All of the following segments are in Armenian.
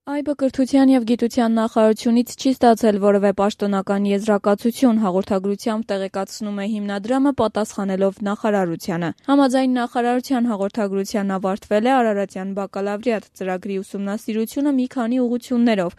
ԱՅԲ կրթության և գիտության նախարարությունից չի ստացել որևէ պաշտոնական եզրակացություն, հաղորդագրությամբ տեղեկացնում է հիմնադրամը, պատասխանելով նախարարությանը։ Համաձայն նախարարության հաղորդագրության ավարտվել է Արարատյան բակալավրիատ ծրագրի ուսումնասիրությունը մի քանի ուղղություններով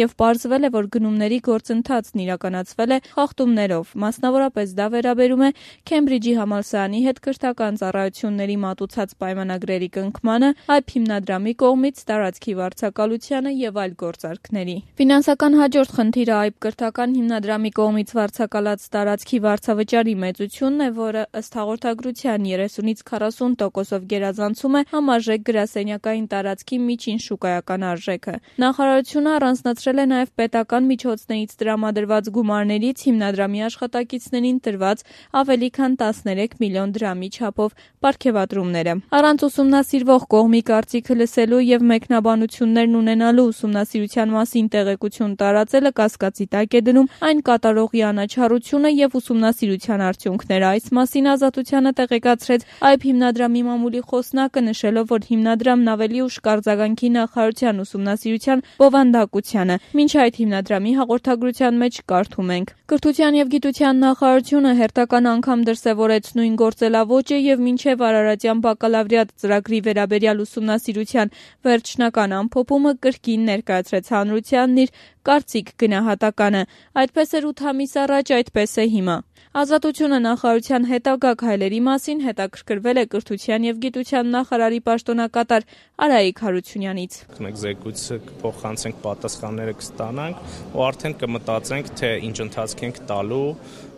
և պարզվել է, որ գնումների գործընթացն իրականացվել է խախտումներով, մասնավորապես դա վերաբերում է Քեմբրիջի համալսարանի հետ կրթական ծառայությունների մատուցած պայմանագրերի կնքմանը, ԱՅԲ հիմնադրամի կողմից տարածքի վարձակալությանը և այլ գործարքների։ Ֆինանսական հաջորդ խնդիրը ԱՅԲ կրթական հիմնադրամի կողմից վարձակալած տարածքի վարձավճարի մեծությունն է, որը ըստ հաղորդագրության 30-ից 40%-ով գերազանցում է համարժեք գրասենյակային տարածքի միջին շուկայական արժեքը։ Նախարարությունը առանձնացրել է նաև պետական միջոցներից տրամադրված գումարներից հիմնադրամի աշխատակիցներին տրված ավելի քան 13 միլիոն դրամի չափով պարգևատրումները։ Առանց ուսումնասիրվող կողմի կարծիքը լսելու և մեկնաբանություններն ունենալու ուսումնասիրության մասին տեղեկություն տարածելը կասկածի տակ է դնում այն կատարողի անաչառությունը և ուսումնասիրության արդյունքները։ Այս մասին Ազատությանը տեղեկացրեց ԱՅԲ հիմնադրամի մամուլի խոսնակը, նշելով, որ հիմնադրամն ավելի ուշ կարձագանքի նախարարության ուսումնասիրության բովանդակությանը։ Մինչ այդ հիմնադրամի հաղորդագրության մեջ կարդում ենք. Կրթության և գիտության նախարարությունը հերթական անգամ դրսևորեց նույն գործելաոճը և մինչև Արարատյան բակալավրիատ ծրագրի վերաբերյալ ուսումնասիրության վերջնական ամփոփումը կրկին ներկայացրեց հանրությանն իր կարծիք գնահատականը։ Այդպես էր 8 ամիս առաջ, այդպես է հիմա։ Ազատությունը նախարարության հետագա քայլերի մասին հետաքրքրվել է կրթության և գիտության նախարարի պաշտոնակատար Արայիկ Հարությունյանից։ Մենք զեկույցը կփոխանցենք, պատասխանները կստանանք ու արդեն կմտածենք, թե ինչ ընթացք ենք տալու,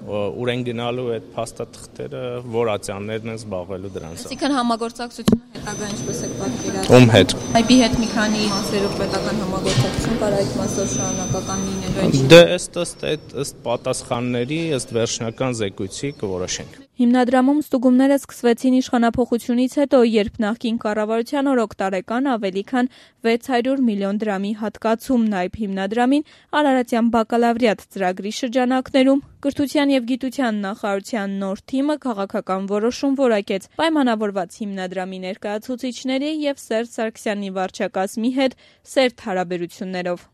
ուր են գնալու այդ փաստաթղթերը, որ ատյաններն են զբաղվելու դրանց։ Այսինքն համագործակցությունը հետագա ինչպես է պատկերացնում։ Ում հետ։ ԱՅԲ-ի հետ մի քանի մասերով պետական համագործակցություն կար, այդ մասով շարունակական լինելու։ Դե ըստ պատասխանների, ըստ վերջնական զեկույցի կորոշենք։ Հիմնադրամում ստուգումները սկսվեցին իշխանափոխությունից հետո, երբ նախկին կառավարության օրոք տարեկան ավելի քան 600 միլիոն դրամի հատկացումն ԱՅԲ հիմնադրամին Արարատյան բակալավրիատ ծրագրի շրջանակներում կրթության և գիտության նախարարության նոր թիմը քաղաքական որոշում որակեց պայմանավորված հիմնադրամի ներկայացուցիչների և Սերժ Սարգսյանի վարչակազմի հետ սերտ հարաբերություններով։